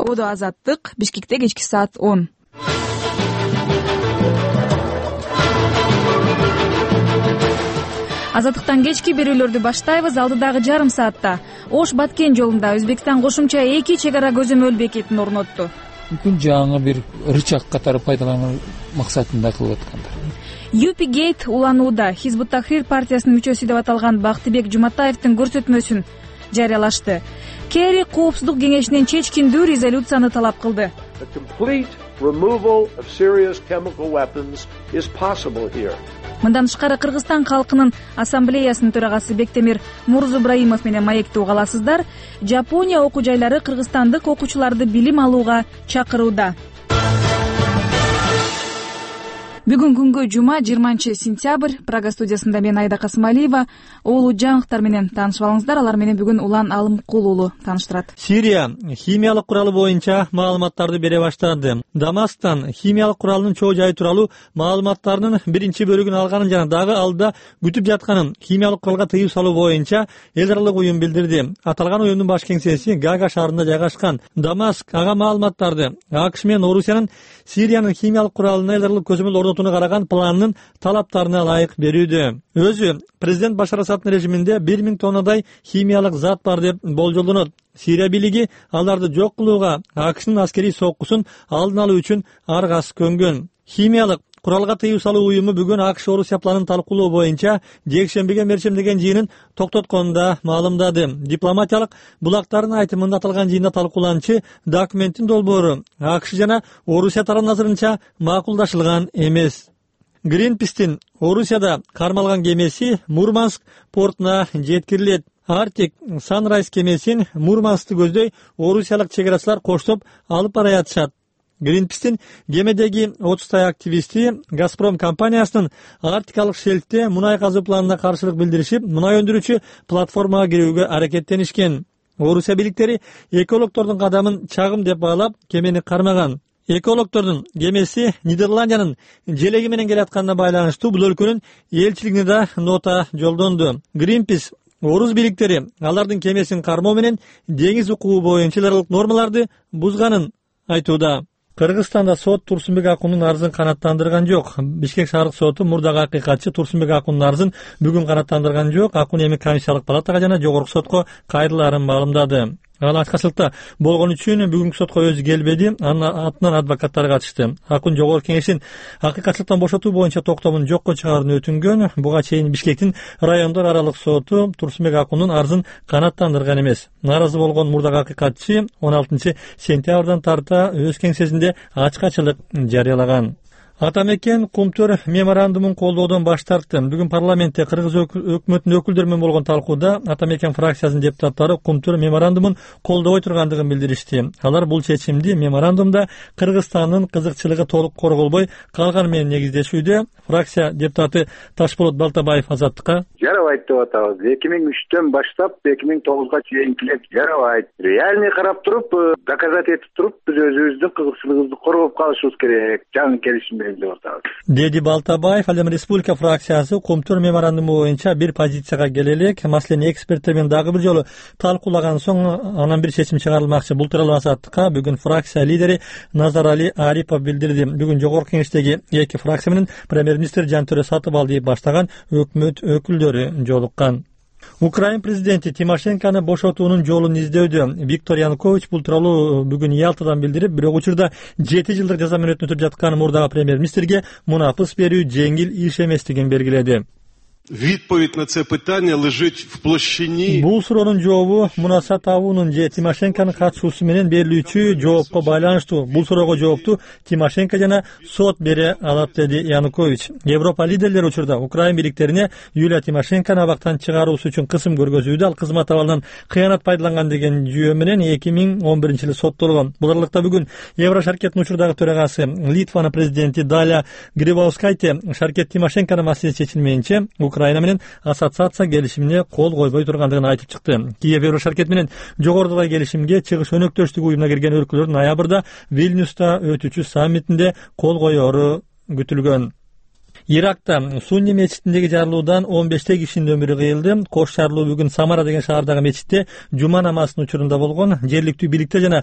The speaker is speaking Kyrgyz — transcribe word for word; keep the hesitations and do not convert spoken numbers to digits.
Ободо Азаттык, Бишкекте кечки саат он. Азаттыктан кечки берүүлөрдү баштайбыз. Алдыдагы жарым саатта Ош Баткен жолунда Өзбекстан кошумча эки чек ара көзөмөл бекетин орнотту. Мүмкүн жаңы бир рычаг катары пайдалануу максатында кылып аткандар. Юпи Гейт уланууда. Хизбут Тахрир партиясынын мүчөсү деп аталган Бактыбек Жуматаевдин көрсөтмөсүн жарыялашты. Керри Коопсуздук кеңешинен чечкиндүү резолюцияны талап кылды. Мындан тышкары Кыргызстан калкынын ассамблеясынын төрагасы Бектемир Мурзубраимов менен маекти угаласыздар. Жапония окуу жайлары кыргызстандык окуучуларды билим алууга чакырууда. Бүгүн күнгө жума жыйырманчы сентябрь. Прага студиясында мен Айда Касымалиева. Улуу жаңылыктар менен таанышып алыңыздар. Алар менен бүгүн Улан Алымкул уулу тааныштырат. Сирия химиялык куралы боюнча маалыматтарды бере баштады. Дамасктан химиялык куралдын чоо жайы тууралуу маалыматтарынын биринчи бөлүгүн алганын жана дагы алда күтүп жатканын химиялык куралга тыюу салуу боюнча эл аралык уюм билдирди. Аталган уюмдун баш кеңсеси Гага шаарында жайгашкан. Дамаск ага маалыматтарды АКШ менен Орусиянын Сириянын химиялык куралына эл аралык көзөмөл орнотууну караган планынын талаптарына ылайык берүүдө. Өзү президент Башар Асаддын режиминде бир миң тоннадай химиялык зат бар деп болжолдонот. Сирия бийлиги аларды жок кылууга АКШнын аскерий соккусун алдын алуу үчүн аргас көнгөн. Химиялык куралга тыюу салуу уюму бүгүн АКШ Орусия планын талкуулоо боюнча жекшембиге мерчемдеген жыйынын токтотконун да маалымдады. Дипломатиялык булактардын айтымында аталган жыйында талкууланчы документтин долбоору АКШ жана Орусия тарабы назарынча макулдашылган эмес. Greenpeace'тин Орусияда кармалган кемеси Мурманск портуна жеткирилет. Arctic Sunrise кемесин Мурманскты көздөй орусиялык чек арачылар коштоп алып бара жатышат. Greenpeace'тин кемедеги отуздай активисти Газпром компаниясынын Арктикалык шельфте мунай казуу планына каршылык билдиришип, мунай өндүрүүчү платформага кирүүгө аракеттенишкен. Орусия бийликтери экологдордун кадамын чагым деп баалап, кемени кармаган. Экологдордун кемеси Нидерландиянын желеги менен келатканына байланыштуу бул өлкөнүн элчилигине да нота жолдонду. Greenpeace Орус бийликтери алардын кемесин кармоо менен деңиз укугу боюнча аралык нормаларды бузганын айтууда. Кыргызстанда сот Турсунбек Акундун арызын канааттандырган жок. Бишкек шаардык соту мурдагы акыйкатчы Турсунбек Акундун арызын бүгүн канааттандырган жок. Акун эми комиссиялык палатага жана жогорку сотко кайрылаарын маалымдады. Ал ачкачылыкта болгон үчүн бүгүнкү сотко өзү келбеди, анын атынан адвокаттар катышты. Акун жогорку кеңештин акыйкатчылыктан бошотуу боюнча токтомун жокко чыгарууну өтүнгөн. Буга чейин Бишкектин райондор аралык соту Турсунбек Акундун арызын канааттандырган эмес. Наразы болгон мурдагы акыйкатчы он алтынчы сентябрдан тарта өз кеңсесинде ачкачылык жарыялаган. Атамекен Кумтөр меморандумун колдоодон баш тартты. Бүгүн парламентте Кыргыз өкмөтүнүн өкүлдөрү менен болгон талкууда Атамекен фракциясынын депутаттары Кумтөр меморандумун колдобой тургандыгын билдиришти. Алар бул чечимди меморандумда Кыргызстандын кызыкчылыгы толук корголбой калганы менен негиздешүүдө. Фракция депутаты Ташболот Балтабаев Азаттыкка жарабайт деп атабыз. эки миң үчтөн баштап эки миң тогузга чейин килет жарабайт. Реальный карап туруп, доказать этип туруп, биз өзүбүздүн кызыкчылыгыбызды коргоп калышыбыз керек. Жаңы келишим менен деп атабыз. Деди Балтабаев. Ал эми республика фракциясы Кумтөр меморандуму боюнча бир позицияга келе элек. Маселени эксперттер менен дагы бир жолу талкуулаган соң анан бир чечим чыгарылмакчы. Бул тууралуу Азаттыкка бүгүн фракция лидери Назарали Арипов билдирди. Бүгүн жогорку кеңештеги эки фракция менен премьер-министр Жантөрө Сатыбалдиев баштаган өкмөт өкүлдөрү жолуккан. Украин президенти Тимошенкону бошотуунун жолун издөөдө. Виктор Янукович бул тууралуу бүгүн Ялтадан билдирип, бирок учурда жети жылдык жаза мөөнөтүн өтөп жаткан мурдагы премьер-министрге мунапыс берүү жеңил иш эместигин белгиледи. Відповідь на це питання лежить в площині. Бул суроонун жообу мунаса табуунун же Тимошенконун катышуусу менен берилүүчү жоопко байланыштуу. Бул суроого жоопту Тимошенко жана сот бере алат, деди Янукович. Европа лидерлери учурда Украин бийликтерине Юлия Тимошенкону абактан чыгаруусу үчүн кысым көргөзүүдө. Ал кызмат абалынан кыянат пайдаланган деген жүйө менен эки миң он биринчи жылы соттолгон. Бул аралыкта бүгүн Еврошаркеттин учурдагы төрагасы Литванын президенти Даля Грибаускайте Шаркет Тимошенконун маселеси чечилмейинче Украина менен ассоциация келишимине кол койбой тургандыгын айтып чыкты. Киев Еврошаркет менен жогорудагы келишимге чыгыш өнөктөштүк уюмуна кирген өлкөлөр ноябрда Вильнюста өтүүчү саммитинде кол коеру күтүлгөн. Иракта Сунни мечитиндеги жарылуудан он бештей кишинин өмүрү кыйылды. Кош жарылуу бүгүн Самара деген шаардагы мечитте жума намазынын учурунда болгон. Жергиликтүү бийликтер жана